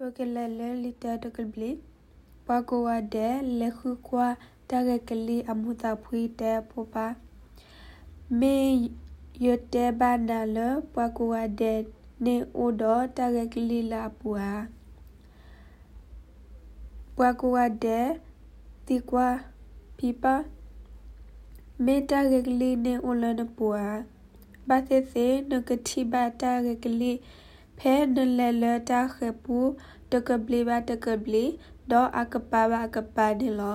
Pokelele lita tokelbli. Pagoa de lehukwa tarekeli amuta pui de popa. Me yote banale pagoa de ne odo tarekeli la pua. Pagoa de tikwa pipa. Me tarekeli ne olana pua. Batete nakatiba tarekeli pe nalele ta khepu tokelbli ba tokelbli do akapa ba akapa de lo.